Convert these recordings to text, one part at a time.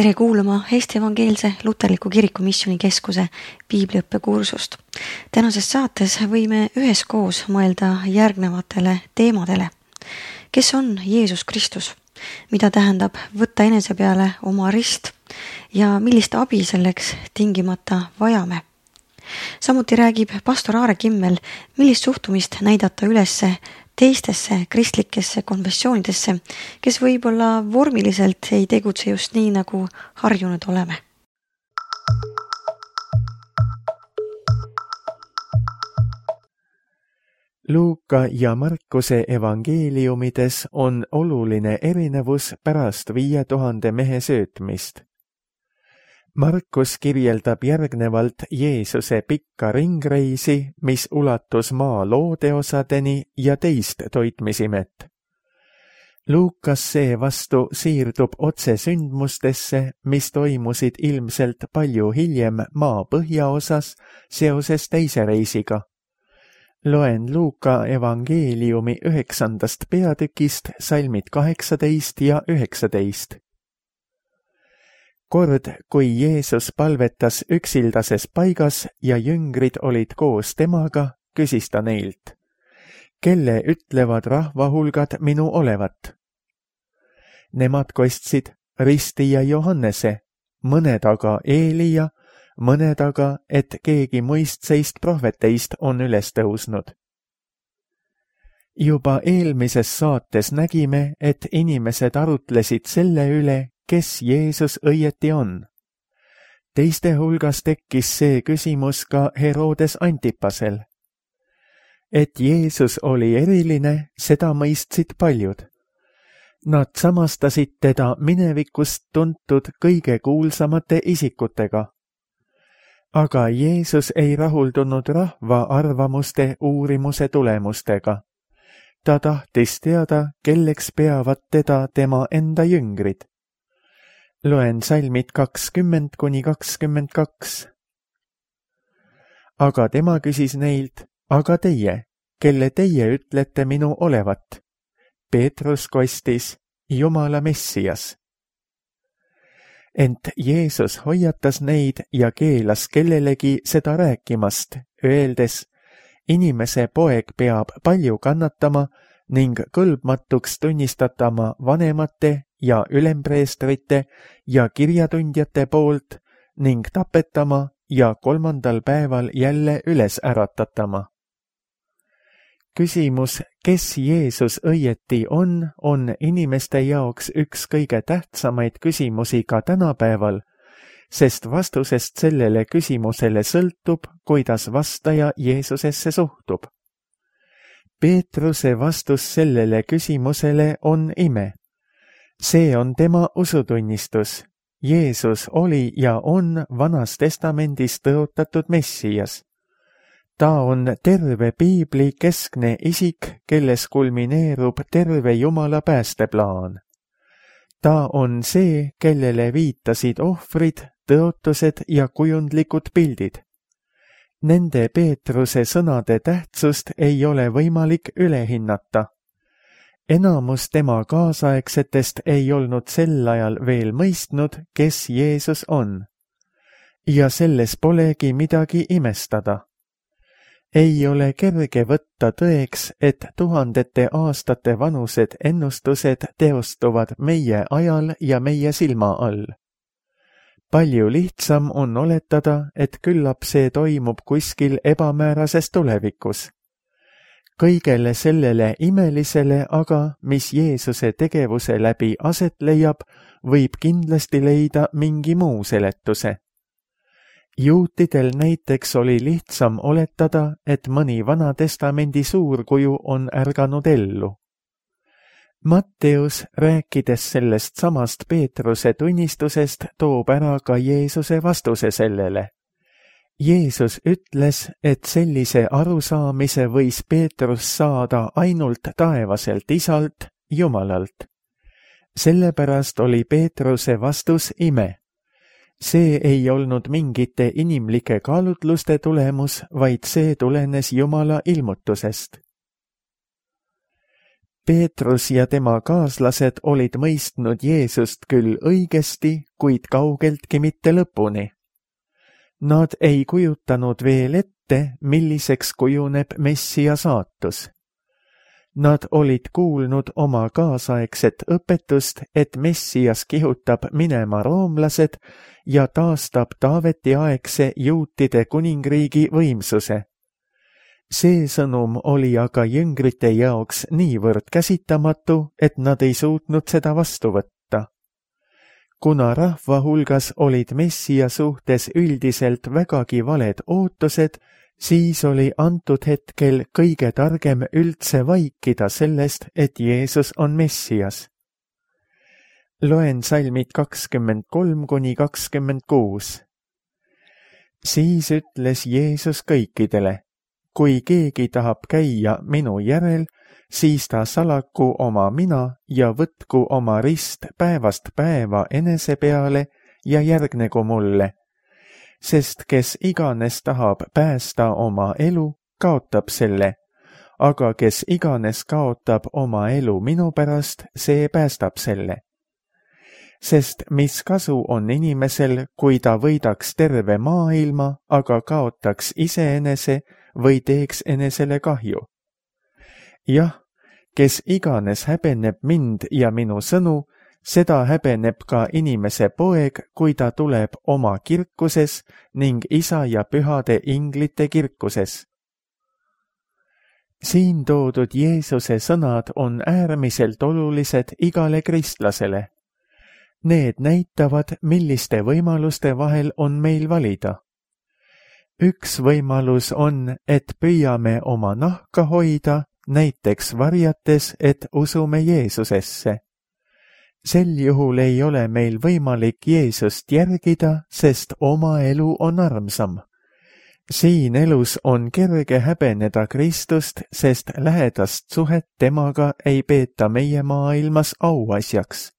Tere kuulama Eesti Evangeelse Luterliku Kiriku Missioonikeskuse piibliõppekursust. Tänases saates võime üheskoos mõelda järgnevatele teemadele. Kes on Jeesus Kristus? Mida tähendab võtta enese peale oma rist ja millist abi selleks tingimata vajame? Samuti räägib pastor Aare Kimmel, millist suhtumist näidata ülesse teistesse kristlikesse konfessioonidesse, kes võib-olla vormiliselt ei tegutse just nii, nagu harjunud oleme. Luuka ja Markuse evangeeliumides on oluline erinevus pärast 5000 mehe söötmist. Markus kirjeldab järgnevalt Jeesuse pikka ringreisi, mis ulatus maa loodeosadeni ja teist toitmisimet. Luukas seevastu siirdub otse sündmustesse, mis toimusid ilmselt palju hiljem maa põhjaosas seoses teise reisiga. Loen Luuka evangeeliumi 9. peatükist salmid 18 ja 19. Kord, kui Jeesus palvetas üksildases paigas ja jüngrid olid koos temaga, küsis ta neilt, kelle ütlevad rahvahulgad minu olevat? Nemad kostsid Risti ja Johannese, mõned aga Eelia, mõned aga, et keegi muistseist prohveteist on üles tõusnud. Juba eelmises saates nägime, et inimesed arutlesid selle üle, kes Jeesus õieti on. Teiste hulgas tekkis see küsimus ka Herodes Antipasel. Et Jeesus oli eriline, seda mõistsid paljud. Nad samastasid teda minevikust tuntud kõige kuulsamate isikutega. Aga Jeesus ei rahuldunud rahva arvamuste uurimuse tulemustega. Ta tahtis teada, kelleks peavad teda tema enda jüngrid. Loen salmid 20–22. Aga tema küsis neilt, aga teie, kelle teie ütlete minu olevat? Peetrus kostis, Jumala Messias. Ent Jeesus hoiatas neid ja keelas kellelegi seda rääkimast, öeldes, inimese poeg peab palju kannatama ning kõlbmatuks tunnistatama vanemate ja ülempreestrite ja kirjatundjate poolt ning tapetama ja 3. päeval jälle üles äratatama. Küsimus, kes Jeesus õieti on inimeste jaoks üks kõige tähtsamaid küsimusi ka tänapäeval, sest vastusest sellele küsimusele sõltub, kuidas vastaja Jeesusesse suhtub. Peetruse vastus sellele küsimusele on ime. See on tema usutunnistus. Jeesus oli ja on Vanas Testamendis tõotatud Messias. Ta on terve piibli keskne isik, kelles kulmineerub terve Jumala päästeplaan. Ta on see, kellele viitasid ohvrid, tõotused ja kujundlikud pildid. Nende Peetruse sõnade tähtsust ei ole võimalik üle hinnata. Enamus tema kaasaegsetest ei olnud sel ajal veel mõistnud, kes Jeesus on. Ja selles polegi midagi imestada. Ei ole kerge võtta tõeks, et tuhandete aastate vanused ennustused teostuvad meie ajal ja meie silma all. Palju lihtsam on oletada, et küllap see toimub kuskil ebamäärases tulevikus. Kõigele sellele imelisele aga, mis Jeesuse tegevuse läbi aset leiab, võib kindlasti leida mingi muu seletuse. Juutidel näiteks oli lihtsam oletada, et mõni Vana Testamendi suurkuju on ärganud ellu. Matteus, rääkides sellest samast Peetruse tunnistusest, toob ära ka Jeesuse vastuse sellele. Jeesus ütles, et sellise arusaamise võis Peetrus saada ainult taevaselt Isalt, Jumalalt. Sellepärast oli Peetruse vastus ime. See ei olnud mingite inimlike kaalutluste tulemus, vaid see tulenes Jumala ilmutusest. Peetrus ja tema kaaslased olid mõistnud Jeesust küll õigesti, kuid kaugeltki mitte lõpuni. Nad ei kujutanud veel ette, milliseks kujuneb Messia saatus. Nad olid kuulnud oma kaasaegset õpetust, et Messias kihutab minema roomlased ja taastab Taaveti aegse juutide kuningriigi võimsuse. See sõnum oli aga jüngrite jaoks niivõrd käsitamatu, et nad ei suutnud seda vastu võtta. Kuna rahva hulgas olid Messia suhtes üldiselt vägagi valed ootused, siis oli antud hetkel kõige targem üldse vaikida sellest, et Jeesus on Messias. Loen salmid 23–26. Siis ütles Jeesus kõikidele: kui keegi tahab käia minu järel, siis ta salaku oma mina ja võtku oma rist päevast päeva enese peale ja järgnegu mulle. Sest kes iganes tahab päästa oma elu, kaotab selle, aga kes iganes kaotab oma elu minu pärast, see päästab selle. Sest mis kasu on inimesel, kui ta võidaks terve maailma, aga kaotaks iseenese või teeks enesele kahju? Jah, kes iganes häbeneb mind ja minu sõnu, seda häbeneb ka inimese poeg, kui ta tuleb oma kirkuses ning isa ja pühade inglite kirkuses. Siin toodud Jeesuse sõnad on äärmiselt olulised igale kristlasele. Need näitavad, milliste võimaluste vahel on meil valida. Üks võimalus on, et püüame oma nahka hoida, näiteks varjates, et usume Jeesusesse. Sel juhul ei ole meil võimalik Jeesust järgida, sest oma elu on armsam. Siin elus on kerge häbeneda Kristust, sest lähedast suhet temaga ei peeta meie maailmas auasjaks.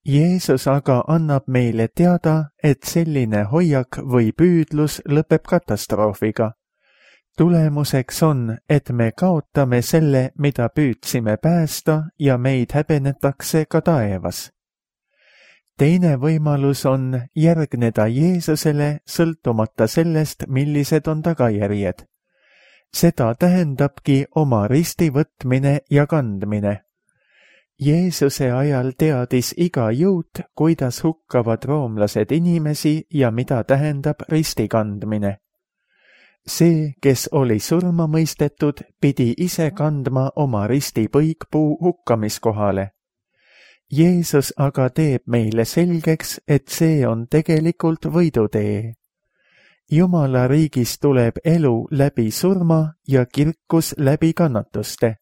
Jeesus aga annab meile teada, et selline hoiak või püüdlus lõpeb katastroofiga. Tulemuseks on, et me kaotame selle, mida püüdsime päästa ja meid häbenetakse ka taevas. Teine võimalus on järgneda Jeesusele sõltumata sellest, millised on tagajärjed. Seda tähendabki oma risti võtmine ja kandmine. Jeesuse ajal teadis iga juut, kuidas hukkavad roomlased inimesi ja mida tähendab risti kandmine. See, kes oli surma mõistetud, pidi ise kandma oma risti põikpuu hukkamiskohale. Jeesus aga teeb meile selgeks, et see on tegelikult võidutee. Jumala riigis tuleb elu läbi surma ja kirkus läbi kannatuste.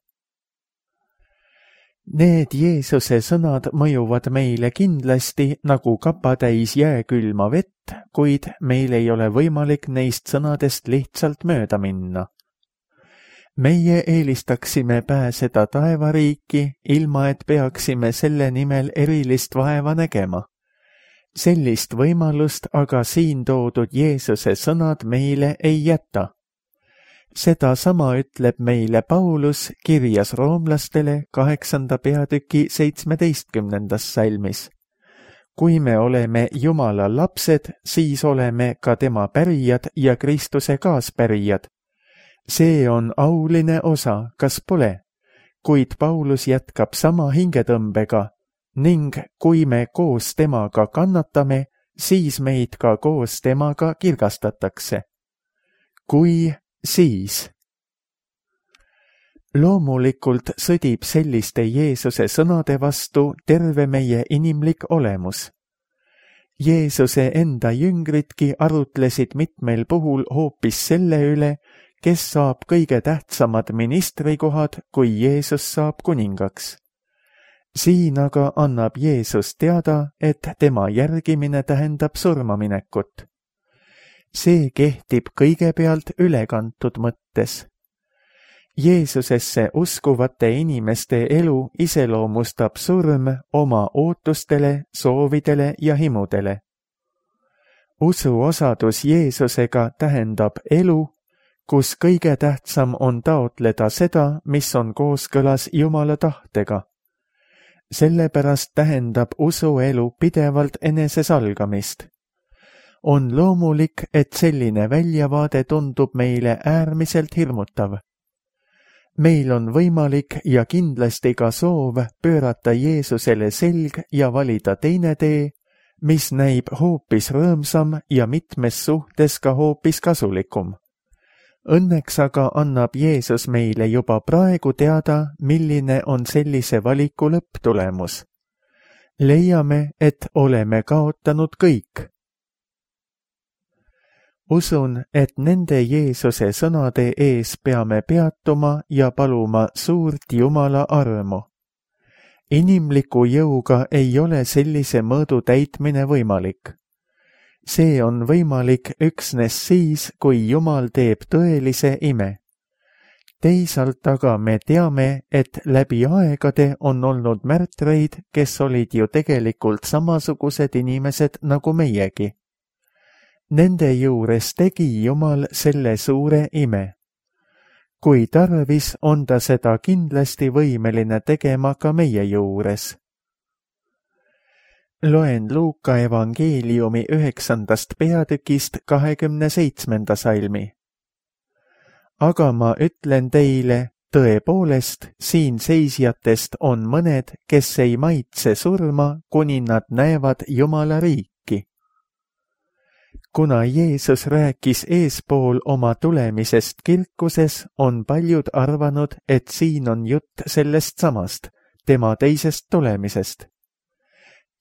Need Jeesuse sõnad mõjuvad meile kindlasti nagu kapatäis jääkülma vett, kuid meil ei ole võimalik neist sõnadest lihtsalt mööda minna. Meie eelistaksime pääseda taevariiki, ilma et peaksime selle nimel erilist vaeva nägema. Sellist võimalust aga siin toodud Jeesuse sõnad meile ei jäta. Seda sama ütleb meile Paulus kirjas roomlastele 8. peatüki 17. salmis. Kui me oleme Jumala lapsed, siis oleme ka tema pärijad ja Kristuse kaaspärijad. See on auline osa, kas pole? Kuid Paulus jätkab sama hingetõmbega ning kui me koos temaga kannatame, siis meid ka koos temaga kirgastatakse. Kui siis. Loomulikult sõdib selliste Jeesuse sõnade vastu terve meie inimlik olemus. Jeesuse enda jüngritki arutlesid mitmel puhul hoopis selle üle, kes saab kõige tähtsamad ministrikohad, kui Jeesus saab kuningaks. Siin aga annab Jeesus teada, et tema järgimine tähendab surmaminekut. See kehtib kõigepealt ülekantud mõttes. Jeesusesse uskuvate inimeste elu iseloomustab surm oma ootustele, soovidele ja himudele. Usuosadus Jeesusega tähendab elu, kus kõige tähtsam on taotleda seda, mis on kooskõlas Jumala tahtega. Sellepärast tähendab usuelu pidevalt enesesalgamist. On loomulik, et selline väljavaade tundub meile äärmiselt hirmutav. Meil on võimalik ja kindlasti ka soov pöörata Jeesusele selg ja valida teine tee, mis näib hoopis rõõmsam ja mitmes suhtes ka hoopis kasulikum. Õnneks aga annab Jeesus meile juba praegu teada, milline on sellise valiku lõpptulemus. Leiame, et oleme kaotanud kõik. Usun, et nende Jeesuse sõnade ees peame peatuma ja paluma suurt Jumala armu. Inimliku jõuga ei ole sellise mõõdu täitmine võimalik. See on võimalik üksnes siis, kui Jumal teeb tõelise ime. Teisalt aga me teame, et läbi aegade on olnud märtreid, kes olid ju tegelikult samasugused inimesed nagu meiegi. Nende juures tegi Jumal selle suure ime. Kui tarvis, on ta seda kindlasti võimeline tegema ka meie juures. Loen Luuka evangeeliumi 9. peatükist 27. salmi. Aga ma ütlen teile, tõepoolest, siin seisjatest on mõned, kes ei maitse surma, kuni nad näevad Jumala riiki. Kuna Jeesus rääkis eespool oma tulemisest kirkuses, on paljud arvanud, et siin on jutt sellest samast, tema teisest tulemisest.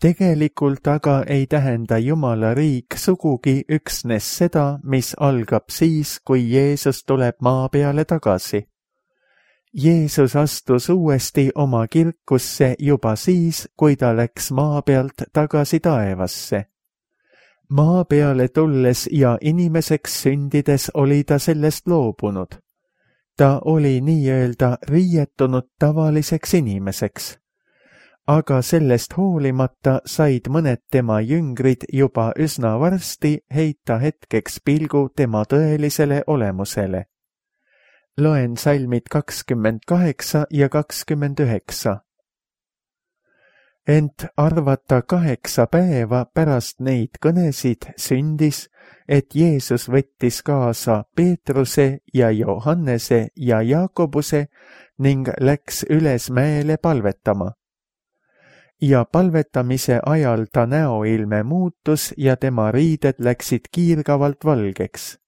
Tegelikult aga ei tähenda Jumala riik sugugi üksnes seda, mis algab siis, kui Jeesus tuleb maa peale tagasi. Jeesus astus uuesti oma kirkusse juba siis, kui ta läks maa pealt tagasi taevasse. Maa peale tulles ja inimeseks sündides oli ta sellest loobunud. Ta oli nii-öelda riietunud tavaliseks inimeseks. Aga sellest hoolimata said mõned tema jüngrid juba üsna varsti heita hetkeks pilgu tema tõelisele olemusele. Loen salmid 28 ja 29. Ent arvata 8 päeva pärast neid kõnesid sündis, et Jeesus võttis kaasa Peetruse ja Johannese ja Jaakobuse ning läks üles mäele palvetama. Ja palvetamise ajal ta näoilme muutus ja tema riided läksid kiirgavalt valgeks.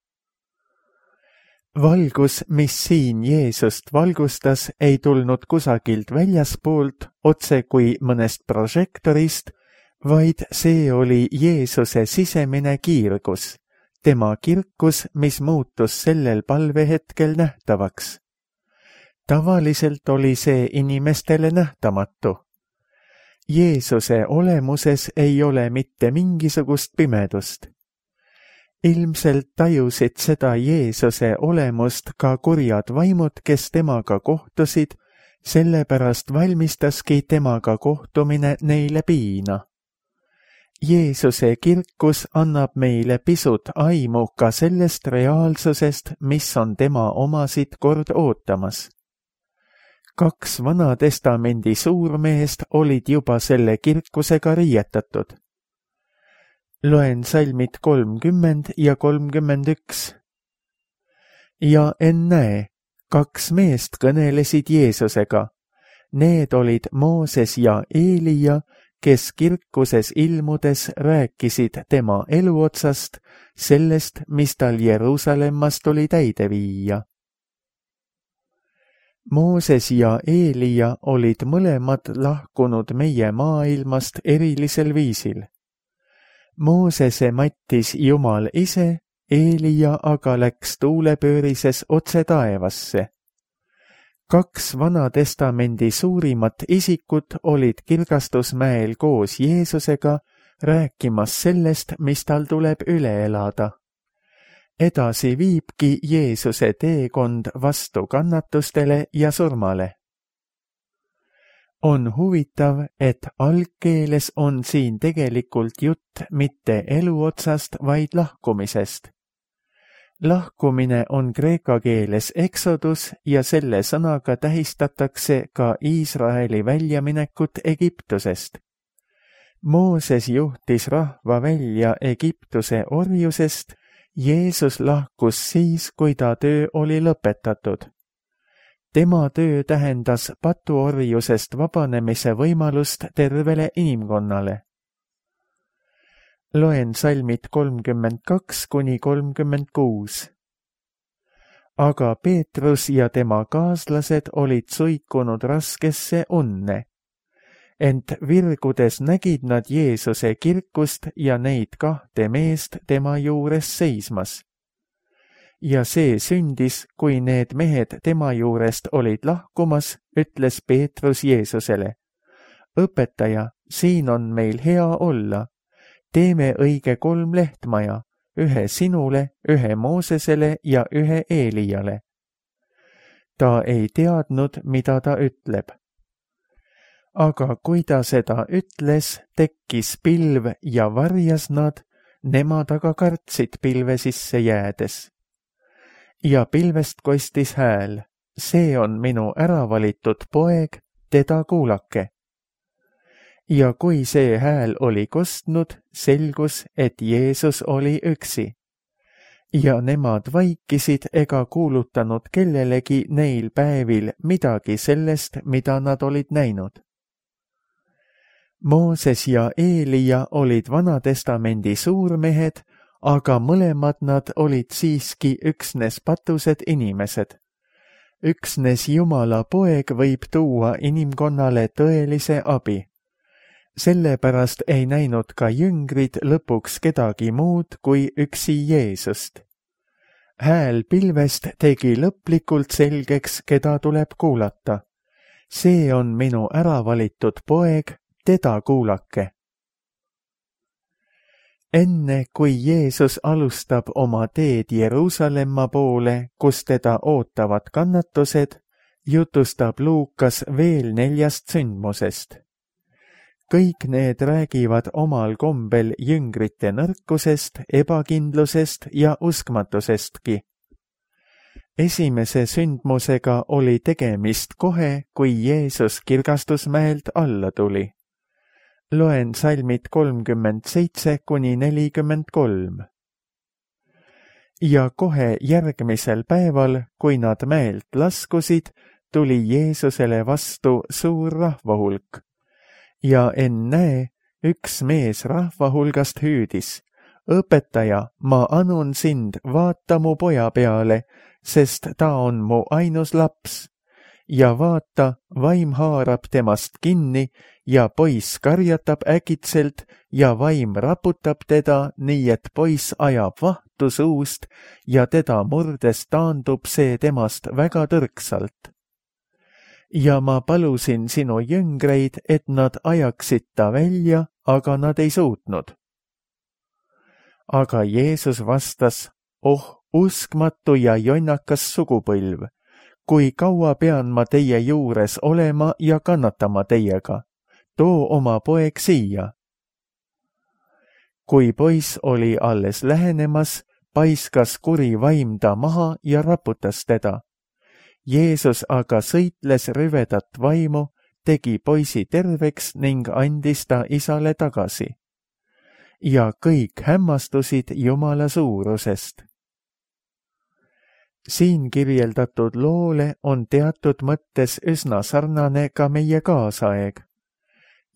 Valgus, mis siin Jeesust valgustas, ei tulnud kusagilt väljaspoolt, otse kui mõnest prožektorist, vaid see oli Jeesuse sisemine kiirgus, tema kirkus, mis muutus sellel palvehetkel nähtavaks. Tavaliselt oli see inimestele nähtamatu. Jeesuse olemuses ei ole mitte mingisugust pimedust. Ilmselt tajusid seda Jeesuse olemust ka kurjad vaimud, kes temaga kohtusid, sellepärast valmistaski temaga kohtumine neile piina. Jeesuse kirkus annab meile pisut aimu ka sellest reaalsusest, mis on tema omasid kord ootamas. 2 Vana-testamendi suurmeest olid juba selle kirkusega riietatud. Loen salmid 30 ja 31. Ja ennäe, 2 meest kõnelesid Jeesusega. Need olid Mooses ja Eelia, kes kirkuses ilmudes rääkisid tema eluotsast, sellest, mis tal Jeruusalemmas tuli täide viia. Mooses ja Eelia olid mõlemad lahkunud meie maailmast erilisel viisil. Moosese mattis Jumal ise, Eelia aga läks tuulepöörises otse taevasse. 2 Vana-testamendi suurimat isikut olid Kirgastusmäel koos Jeesusega rääkimas sellest, mis tal tuleb üle elada. Edasi viibki Jeesuse teekond vastu kannatustele ja surmale. On huvitav, et algkeeles on siin tegelikult jutt mitte eluotsast, vaid lahkumisest. Lahkumine on kreeka keeles exodus ja selle sõnaga tähistatakse ka Iisraeli väljaminekut Egiptusest. Mooses juhtis rahva välja Egiptuse orjusest, Jeesus lahkus siis, kui ta töö oli lõpetatud. Tema töö tähendas patuorjusest vabanemise võimalust tervele inimkonnale. Loen salmid 32–36. Aga Peetrus ja tema kaaslased olid suikunud raskesse unne. Ent virgudes nägid nad Jeesuse kirkust ja neid kahte meest tema juures seismas. Ja see sündis, kui need mehed tema juurest olid lahkumas, ütles Peetrus Jeesusele: Õpetaja, siin on meil hea olla. Teeme õige 3 lehtmaja, ühe sinule, ühe Moosesele ja ühe Eeliale. Ta ei teadnud, mida ta ütleb. Aga kui ta seda ütles, tekkis pilv ja varjas nad, nemad aga kartsid pilve sisse jäädes. Ja pilvest kostis hääl: see on minu äravalitud poeg, teda kuulake. Ja kui see hääl oli kostnud, selgus, et Jeesus oli üksi. Ja nemad vaikisid ega kuulutanud kellelegi neil päevil midagi sellest, mida nad olid näinud. Mooses ja Eelia olid Vanatestamendi suurmehed, aga mõlemad nad olid siiski üksnes patused inimesed. Üksnes Jumala poeg võib tuua inimkonnale tõelise abi. Sellepärast ei näinud ka jüngrid lõpuks kedagi muud kui üksi Jeesust. Hääl pilvest tegi lõplikult selgeks, keda tuleb kuulata. See on minu äravalitud poeg, teda kuulake. Enne kui Jeesus alustab oma teed Jeruusalemma poole, kus teda ootavad kannatused, jutustab Luukas veel 4 sündmusest. Kõik need räägivad omal kombel jüngrite nõrkusest, ebakindlusest ja uskmatusestki. Esimese sündmusega oli tegemist kohe, kui Jeesus Kirgastusmäelt alla tuli. Loen salmid 37–43. Ja kohe järgmisel päeval, kui nad mäelt laskusid, tuli Jeesusele vastu suur rahvahulk. Ja ennäe, üks mees rahva hulgast hüüdis: Õpetaja, ma anun sind, vaata mu poja peale, sest ta on mu ainus laps. Ja vaata, vaim haarab temast kinni ja poiss karjatab äkitselt ja vaim raputab teda, nii et poiss ajab vahtu suust ja teda murdes taandub see temast väga tõrksalt. Ja ma palusin sinu jüngreid, et nad ajaksid ta välja, aga nad ei suutnud. Aga Jeesus vastas: oh, uskmatu ja jonnakas sugupõlv, kui kaua pean ma teie juures olema ja kannatama teiega? Too oma poeg siia. Kui poiss oli alles lähenemas, paiskas kuri vaim ta maha ja raputas teda. Jeesus aga sõitles rüvedat vaimu, tegi poisi terveks ning andis ta isale tagasi. Ja kõik hämmastusid Jumala suurusest. Siin kirjeldatud loole on teatud mõttes üsna sarnane ka meie kaasaeg.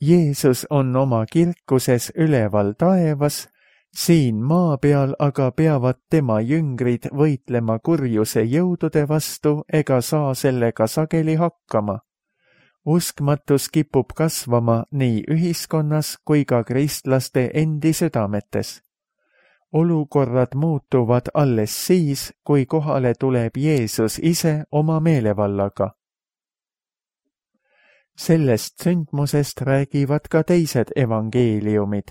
Jeesus on oma kirkuses üleval taevas, siin maa peal aga peavad tema jüngrid võitlema kurjuse jõudude vastu ega saa sellega sageli hakkama. Uskmatus kipub kasvama nii ühiskonnas kui ka kristlaste endi südametes. Olukorrad muutuvad alles siis, kui kohale tuleb Jeesus ise oma meelevallaga. Sellest sündmusest räägivad ka teised evangeeliumid.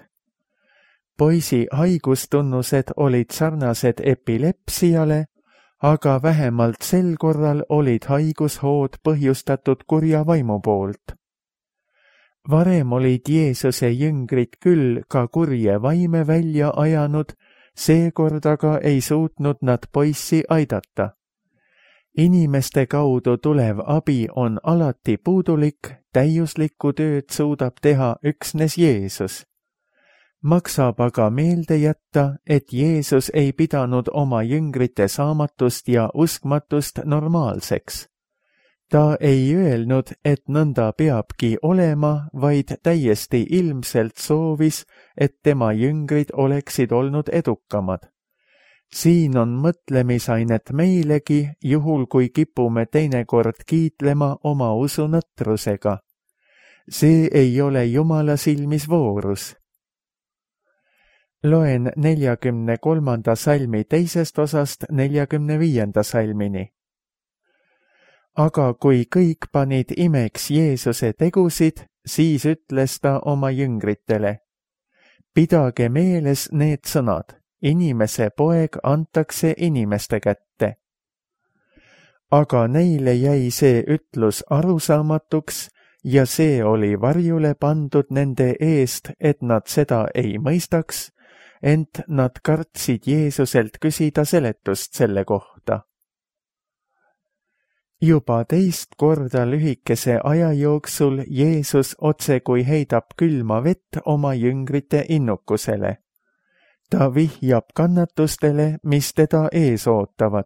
Poisi haigustunnused olid sarnased epilepsiale, aga vähemalt sel korral olid haigushood põhjustatud kurja vaimu poolt. Varem olid Jeesuse jüngrid küll ka kurje vaime välja ajanud, Seekord aga ei suutnud nad poissi aidata. Inimeste kaudu tulev abi on alati puudulik, täiuslikku tööd suudab teha üksnes Jeesus. Maksab aga meelde jätta, et Jeesus ei pidanud oma jüngrite saamatust ja uskmatust normaalseks. Ta ei öelnud, et nõnda peabki olema, vaid täiesti ilmselt soovis, et tema jüngrid oleksid olnud edukamad. Siin on mõtlemisainet meilegi, juhul kui kipume teinekord kiitlema oma usu nõtrusega. See ei ole Jumala silmis voorus. Loen 43. salmi teisest osast 45. salmini. Aga kui kõik panid imeks Jeesuse tegusid, siis ütles ta oma jüngritele: pidage meeles need sõnad, inimese poeg antakse inimeste kätte. Aga neile jäi see ütlus arusaamatuks ja see oli varjule pandud nende eest, et nad seda ei mõistaks, ent nad kartsid Jeesuselt küsida seletust selle kohta. Juba teist korda lühikese aja jooksul Jeesus otsekui heidab külma vett oma jüngrite innukusele. Ta vihjab kannatustele, mis teda ees ootavad.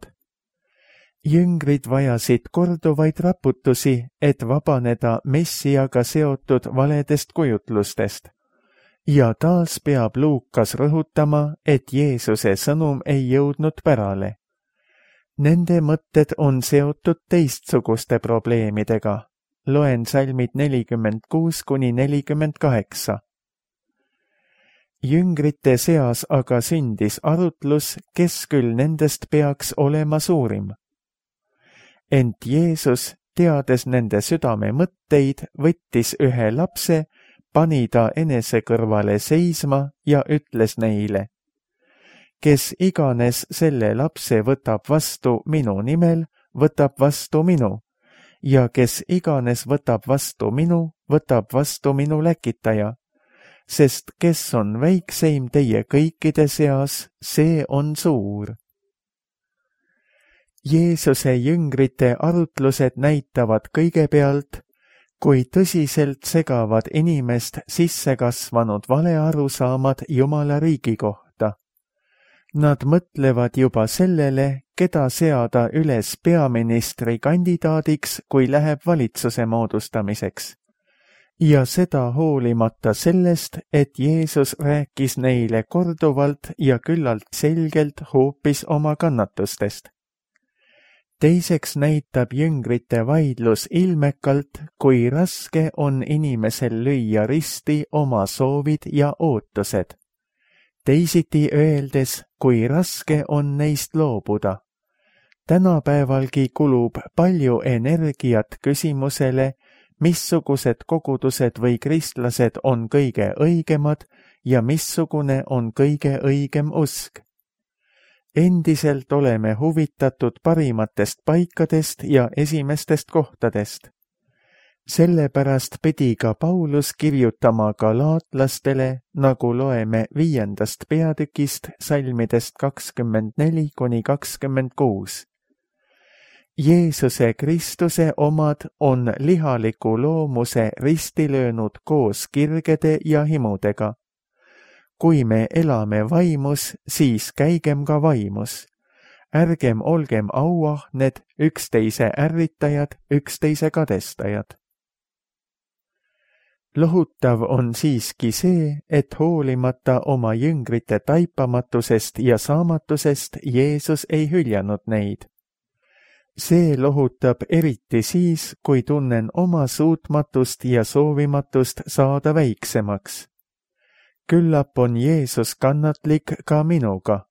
Jüngrid vajasid korduvaid raputusi, et vabaneda Messiaga seotud valedest kujutlustest. Ja taas peab Luukas rõhutama, et Jeesuse sõnum ei jõudnud pärale. Nende mõtted on seotud teistsuguste probleemidega. Loen salmid 46–48. Jüngrite seas aga sündis arutlus, kes küll nendest peaks olema suurim. Ent Jeesus, teades nende südame mõtteid, võttis ühe lapse, pani ta enese kõrvale seisma ja ütles neile: kes iganes selle lapse võtab vastu minu nimel, võtab vastu minu, ja kes iganes võtab vastu minu, võtab vastu minu läkitaja, sest kes on väikseim teie kõikide seas, see on suur. Jeesuse jüngrite arutlused näitavad kõigepealt, kui tõsiselt segavad inimest sisse kasvanud valearusaamad Jumala riigi kohta. Nad mõtlevad juba sellele, keda seada üles peaministri kandidaadiks, kui läheb valitsuse moodustamiseks. Ja seda hoolimata sellest, et Jeesus rääkis neile korduvalt ja küllalt selgelt hoopis oma kannatustest. Teiseks näitab jüngrite vaidlus ilmekalt, kui raske on inimesel lüüa risti oma soovid ja ootused. Teisiti öeldes, kui raske on neist loobuda. Tänapäevalgi kulub palju energiat küsimusele, missugused kogudused või kristlased on kõige õigemad ja missugune on kõige õigem usk. Endiselt oleme huvitatud parimatest paikadest ja esimestest kohtadest. Sellepärast pidi ka Paulus kirjutama galaatlastele, nagu loeme 5. peatükist salmidest 24–26. Jeesuse Kristuse omad on lihaliku loomuse risti löönud koos kirgede ja himudega. Kui me elame vaimus, siis käigem ka vaimus. Ärgem olgem auahned, üksteise ärritajad, üksteise kadestajad. Lohutav on siiski see, et hoolimata oma jüngrite taipamatusest ja saamatusest Jeesus ei hüljanud neid. See lohutab eriti siis, kui tunnen oma suutmatust ja soovimatust saada väiksemaks. Küllap on Jeesus kannatlik ka minuga.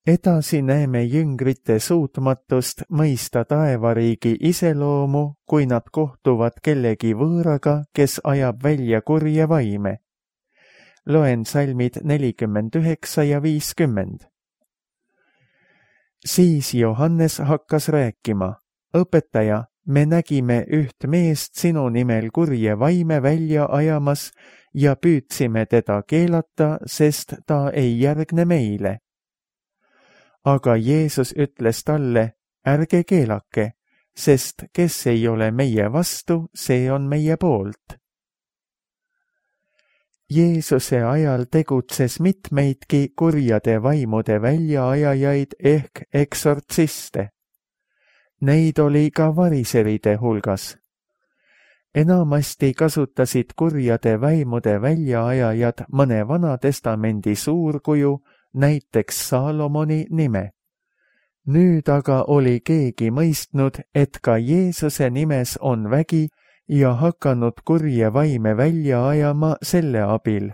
Edasi näeme jüngrite suutmatust mõista taevariigi iseloomu, kui nad kohtuvad kellegi võõraga, kes ajab välja kurje vaime. Loen salmid 49 ja 50. Siis Johannes hakkas rääkima: õpetaja, me nägime üht meest sinu nimel kurje vaime välja ajamas ja püüdsime teda keelata, sest ta ei järgne meile. Aga Jeesus ütles talle, ärge keelake, sest kes ei ole meie vastu, see on meie poolt. Jeesuse ajal tegutses mitmeidki kurjade vaimude väljaajajaid ehk eksortsiste. Neid oli ka variseride hulgas. Enamasti kasutasid kurjade vaimude väljaajajad mõne Vanatestamendi suurkuju, näiteks Saalomoni nime. Nüüd aga oli keegi mõistnud, et ka Jeesuse nimes on vägi ja hakanud kurje vaime välja ajama selle abil.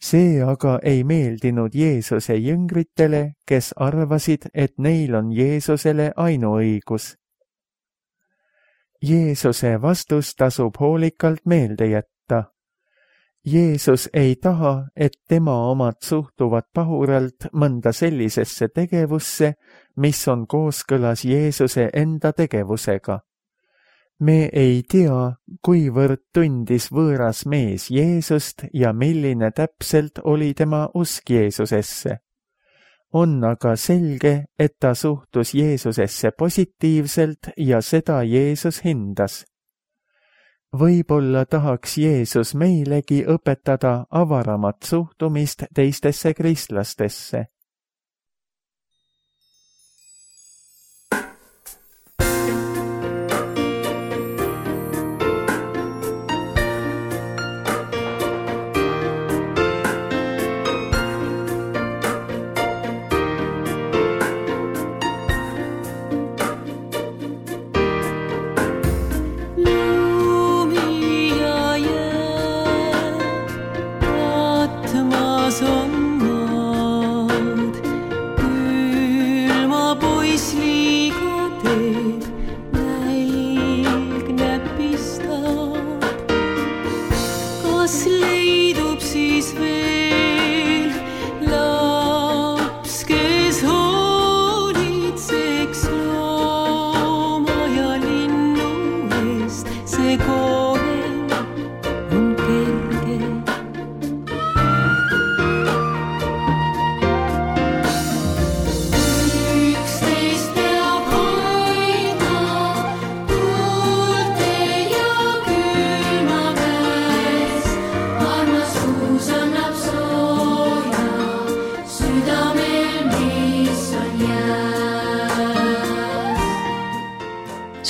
See aga ei meeldinud Jeesuse jüngritele, kes arvasid, et neil on Jeesusele ainuõigus. Jeesuse vastus tasub hoolikalt meelde jätta. Jeesus ei taha, et tema omad suhtuvad pahuralt mõnda sellisesse tegevusse, mis on kooskõlas Jeesuse enda tegevusega. Me ei tea, kuivõrd tundis võõras mees Jeesust ja milline täpselt oli tema usk Jeesusesse. On aga selge, et ta suhtus Jeesusesse positiivselt ja seda Jeesus hindas. Võib-olla tahaks Jeesus meilegi õpetada avaramat suhtumist teistesse kristlastesse.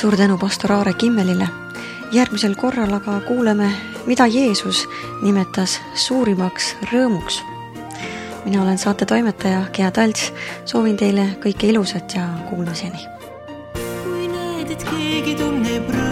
Suur tänu pastor Aare Kimmelile. Järgmisel korral aga kuuleme, mida Jeesus nimetas suurimaks rõõmuks. Mina olen saate toimetaja Gea Talts. Soovin teile kõike ilusat ja kuulmiseni. Kui näed, et keegi tunneb